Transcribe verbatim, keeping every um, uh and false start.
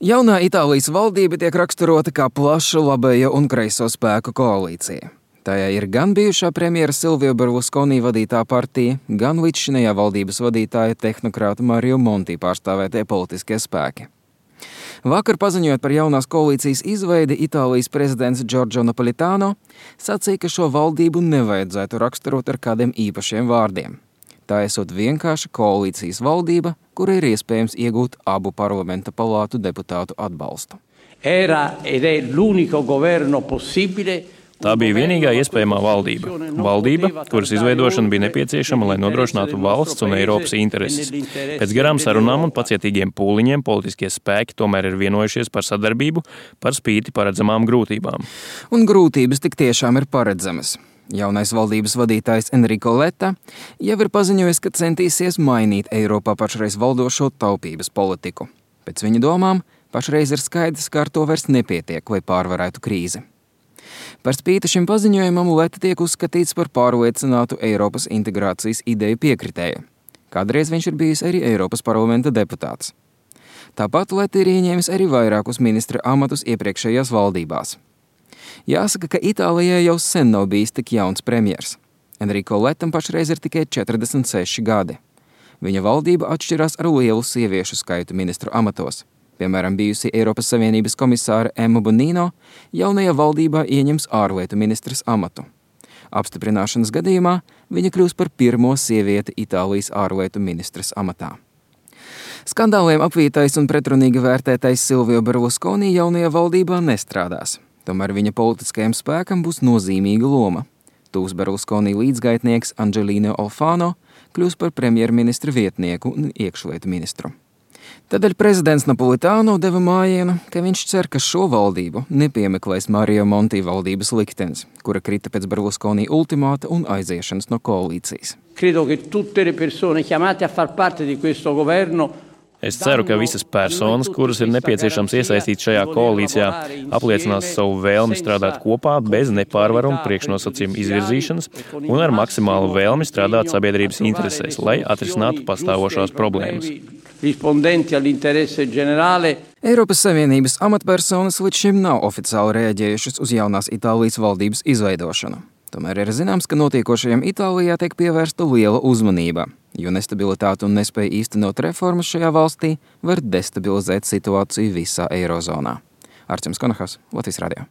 Jaunā Itālijas valdība tiek raksturota kā plaša labējo un kreiso spēku koalīcija. Tajā ir gan bijušā premjera Silvio Berlusconi vadītā partija, gan līdzšinējā valdības vadītāja tehnokrāta Mario Monti pārstāvētie politiskie spēki. Vakar paziņojot par jaunās koalīcijas izveidi, Itālijas prezidents Giorgio Napolitano sacīja, ka šo valdību nevajadzētu raksturot ar kādiem īpašiem vārdiem. Tā esot vienkārša koalīcijas valdība, kura ir iespējams iegūt abu parlamenta palātu deputātu atbalstu. Era ed è l'unico governo possibile. Tā bija vienīgā iespējamā valdība. Valdība, kuras izveidošana bija nepieciešama, lai nodrošinātu valsts un Eiropas intereses. Pēc garām sarunām un pacietīgiem pūliņiem politiskie spēki tomēr ir vienojušies par sadarbību par spīti paredzamām grūtībām. Un grūtības tik tiešām ir paredzamas. Jaunais valdības vadītājs Enrico Letta jau ir paziņojis, ka centīsies mainīt Eiropā pašreiz valdošo taupības politiku. Pēc viņa domām, pašreiz ir skaidrs, ka ar to vairs nepietiek, lai pārvarētu krīzi. Par spīti šim paziņojumam Letta tiek uzskatīts par pārliecinātu Eiropas integrācijas ideju piekritēju. Kādreiz viņš ir bijis arī Eiropas parlamenta deputāts. Tāpat Letta ir ieņēmis arī vairākus ministra amatus iepriekšējās valdībās. Jāsaka, ka Itālijā jau sen nav bijis tik jauns premjers. Enrico Lettam pašreiz ir tikai četrdesmit seši gadi. Viņa valdība atšķirās ar lielu sieviešu skaitu ministru amatos. Piemēram, bijusi Eiropas Savienības komisāre Emma Bonino jaunajā valdībā ieņems ārlietu ministras amatu. Apstiprināšanas gadījumā viņa kļūs par pirmo sievieti Itālijas ārlietu ministras amatā. Skandāliem apvītais un pretrunīgi vērtētais Silvio Berlusconi jaunajā valdībā nestrādās. Tomēr viņa politiskajam spēkam būs nozīmīga loma. Tūs Berlusconi līdzgaitnieks Angelino Alfano kļūs par premjerministra vietnieku un iekšlietu ministru. Tādēļ prezidents Napolitano deva mājienu, ka viņš cer, ka šo valdību nepiemeklēs Mario Monti valdības liktenis, kura krita pēc Berlusconi ultimāta un aiziešanas no koalīcijas. Credo che tutte le persone chiamate a far parte di questo governo. Es ceru, ka visas personas, kuras ir nepieciešams iesaistīt šajā koalīcijā, apliecinās savu vēlmi strādāt kopā bez nepārvaramu priekšnosacījumu izvirzīšanas un ar maksimālu vēlmi strādāt sabiedrības interesēs, lai atrisinātu pastāvošās problēmas. Eiropas Savienības amatpersonas līdz šim nav oficiāli reaģējušas uz jaunās Itālijas valdības izveidošanu. Tomēr ir zināms, ka notiekošajam Itālijā tiek pievērsta liela uzmanība, jo nestabilitāte un nespēja īstenot reformas šajā valstī var destabilizēt situāciju visā Eirozonā. Arčuns Konahas, Latvijas radio.